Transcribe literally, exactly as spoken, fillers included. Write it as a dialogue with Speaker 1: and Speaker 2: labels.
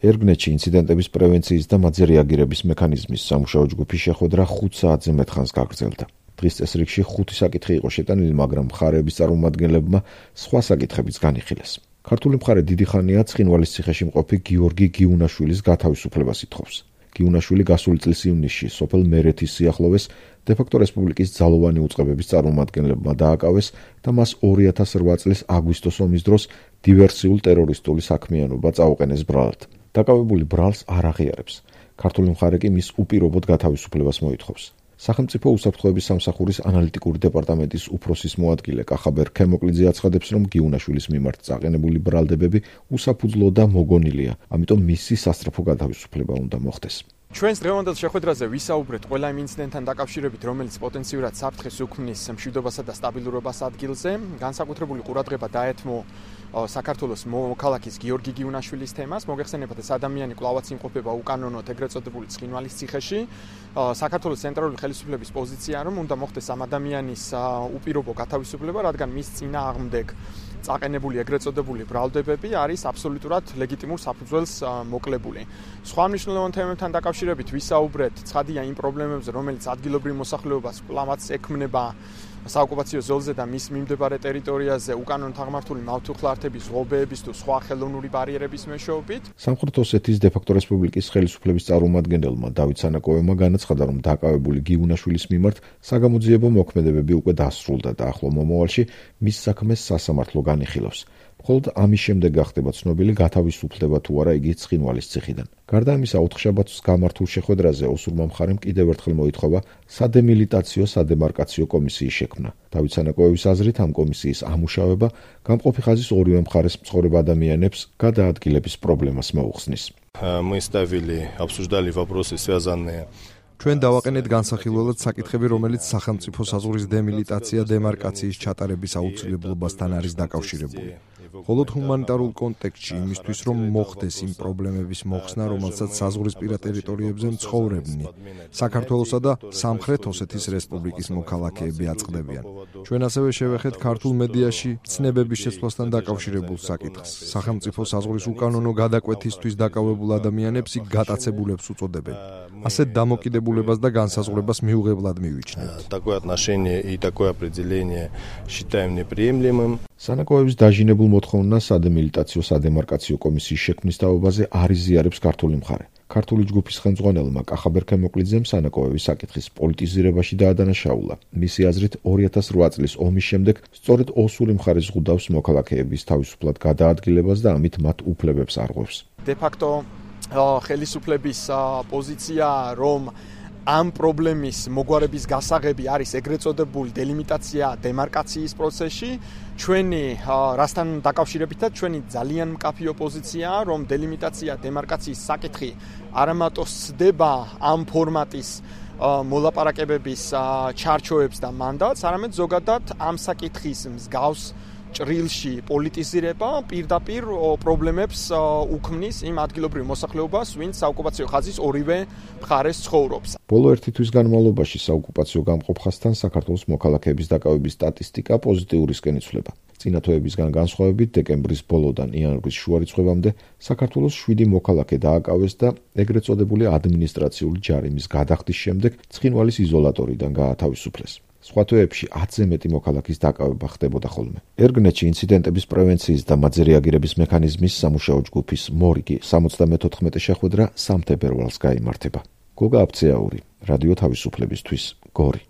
Speaker 1: ერგნეთში ინციდენტების პრევენციის და მათზე რეაგირების მექანიზმის სამუშაო ჯგუფი შეხვედრა ხუთ საათზე მეტ ხანს გაგრძელდა. დღის წესრიგში ხუთი საკითხი იყო შეტანილი, მაგრამ მხარეების წარმომადგენლებმა სხვა საკითხებიც განიხილეს. ქართული მხარე დიდი ხანია ცხინვალის ციხეში მყოფი გიორგი გიუნაშვილის გათავისუფლებას ითხოვს. გიუნაშვილი გასული წლის ივნისში სოფელ მერეთის სიახლოვეს დე-ფაქტო რესპუბლიკის ძალოვანი უწყებების წარმომადგენლებმა დააკავეს და მას ორი ათას რვა წლის აგვისტოს ომის დროს დივერსიულ ტერორისტული საქმიანობა წაუყენეს ბრალად. დაკავებული ბრალს არ აღიარებს. ქართული მხარე კი მის უპირობოდ გათავისუფლებას მოითხოვს. სახელმწიფო უსაფრთხოების სამსახურის ანალიტიკური დეპარტამენტის უფროსის მოადგილე კახაბერ ქემოკლიძე აცხადებს, რომ გიუნაშვილის მიმართ წაყენებული ბრალდებები უსაფუძვლო და მოგონილია, ამიტომ მისი სასწრაფო გათავისუფლება უნდა მოხდეს.
Speaker 2: ჩვენს დღევანდელ შეხვედრაზე ვისაუბრეთ ყველა იმ ინციდენტთან დაკავშირებით, რომელიც პოტენციურად საფრთხეს უქმნის მშვიდობასა და სტაბილურობას ადგილზე. განსაკუთრებული ყურადღება დაეთმო საქართველოს მოქალაქის გიორგი გიუნაშვილის თემას. მოგეხსენებათ, ეს ადამიანი კვლავაც იმყოფება უკანონოდ ეგრეთ წოდებული ცხინვალის ციხეში. საქართველოს ცენტრალური ხელისუფლების პოზიცია, რომ უნდა მოხდეს ამ ადამიანის უპირობო გათავისუფლება, რადგან მის წინააღმდეგ წაყენებული ეგრეთ წოდებული ბრალდებები არის აბსოლუტურად ლეგიტიმურ საფუძველს მოკლებული. სხვა მნიშვნელოვან თემებთან დაკავშირებით ვისაუბრეთ ცხადია იმ პრობლემებზე, რომელიც ადგილობრივ მოსახლეობას კვლავაც ექმნება საოკუპაციო ზოლზე და მის მიმდებარე ტერიტორიაზე უკანონოდ აღმართული მავთუხლართების, ღობეების თუ სხვა ხელოვნური ბარიერების მეშვეობით.
Speaker 1: სამხრეთ ოსეთის დე-ფაქტო რესპუბლიკის ხელისუფლების წარმომადგენელმა დავით სანაკოევმა განაცხადა, რომ დაკავებული გიუნაშვილის მიმართ საგამოძიებო მოქმედებები უკვე დასრულდა და ახლო მომავალში მის საქმეს სასამართლო განიხილავს. მხოლოდ ამის შემდეგ გახდება ცნობილი გათავისუფლდება თუ არა იგი ცხინვალის ციხიდან. გარდა ამისა, ოთხშაბათს გამართულ შეხვედრაზე ოსურმა მხარემ კიდევ ერთხელ მოითხოვა სადემილიტაციო სადემარკაციო კომისიის შექმნა. დავით სანაკოევის აზრით, ამ კომისიის ამუშავება გამყოფი ხაზის ორივე მხარეს მცხოვრებ ადამიანებს გადაადგილების პრობლემას მოუხსნის.
Speaker 3: Мы ставили, обсуждали вопросы, связанные
Speaker 4: ჩვენ დავაყენეთ განსახილველად საკითხები, რომელიც სახელმწიფო საზღვრის დემილიტაცია დემარკაციის ჩატარების აუცილებლობასთან არის დაკავშირებული. მხოლოდ ჰუმანიტარულ კონტექსტში იმისთვის, რომ მოხდეს იმ პრობლემების მოხსნა, რომელსაც საზღვრისპირა ტერიტორიებზე მცხოვრებნი საქართველოსა და სამხრეთ ოსეთის რესპუბლიკის მოქალაქეები აწყდებიან. ჩვენ ასევე შევეხეთ ქართულ მედიაში ცნებების შეცვლასთან დაკავშირებულ საკითხს. სახელმწიფო საზღვრის უკანონო გადაკვეთისთვის დაკავებულ ადამიანებს იქ გატაცებულებს უწოდებენ. ასეთ დამოკიდებულებას და განსაზღვრებას მიუღებლად მივიჩნევთ.
Speaker 3: Такое отношение и такое определение считаем неприемлемым.
Speaker 1: სანაკოევის დაჟინებულ მოთხოვნას სადემილიტაციო სადემარკაციო კომისიის შექმნის თაობაზე არ იზიარებს ქართული მხარე. ქართული ჯგუფის ხელმძღვანელმა კახაბერ ქემოკლიძემ სანაკოევის საკითხის პოლიტიზირებაში დაადანაშაულა. მისი აზრით, ორი ათას რვა წლის ომის შემდეგ სწორედ ოსური მხარე ზღუდავს მოქალაქეების თავისუფლად გადაადგილებას და ამით მათ უფლებებს არღვევს.
Speaker 2: დე-ფაქტო ხელისუფლების პოზიცია, რომ ამ პრობლემის მოგვარების გასაღები არის ეგრეთ წოდებული დელიმიტაცია დემარკაციის პროცესში. ჩვენი რასთან დაკავშირებითაც ჩვენი ძალიან მკაფიო პოზიციაა, რომ დელიმიტაცია დემარკაციის საკითხი არამატო სცდება ამ ფორმატის მოლაპარაკებების ჩარჩოებს და მანდატს, არამედ ზოგადად ამ საკითხის მსგავს ჭრილში პოლიტიზირება პირდაპირ პრობლემებს უქმნის იმ ადგილობრივ მოსახლეობას, ვინც საოკუპაციო ხაზის ორივე მხარეს ცხოვრობს.
Speaker 1: ბოლო ერთი თვის განმავლობაში საოკუპაციო გამყოფ ხაზთან საქართველოს მოქალაქეების დაკავების სტატისტიკა პოზიტიურისკენ იცვლება. წინა თვეებისგან განსხვავებით, დეკემბრის ბოლოდან იანვრის შუარიცხვებამდე საქართველოს შვიდი მოქალაქე დააკავეს და ეგრეთ წოდებული ადმინისტრაციული ჯარიმის გადახდის შემდეგ ცხინვალის იზოლატორიდან გაათავისუფლეს. სხვა თვეებში ათზე მეტი მოქალაქის დაკავება ხდებოდა ხოლმე. ერგნეთში ინციდენტების პრევენციის და მათზე რეაგირების მექანიზმის სამუშაო ჯგუფის მორიგი სამოცდამეთოთხმეტე შეხვედრა სამ თებერვალს გაიმართება. გოგა აფცეაური, რადიო თავისუფლებისთვის, გორი.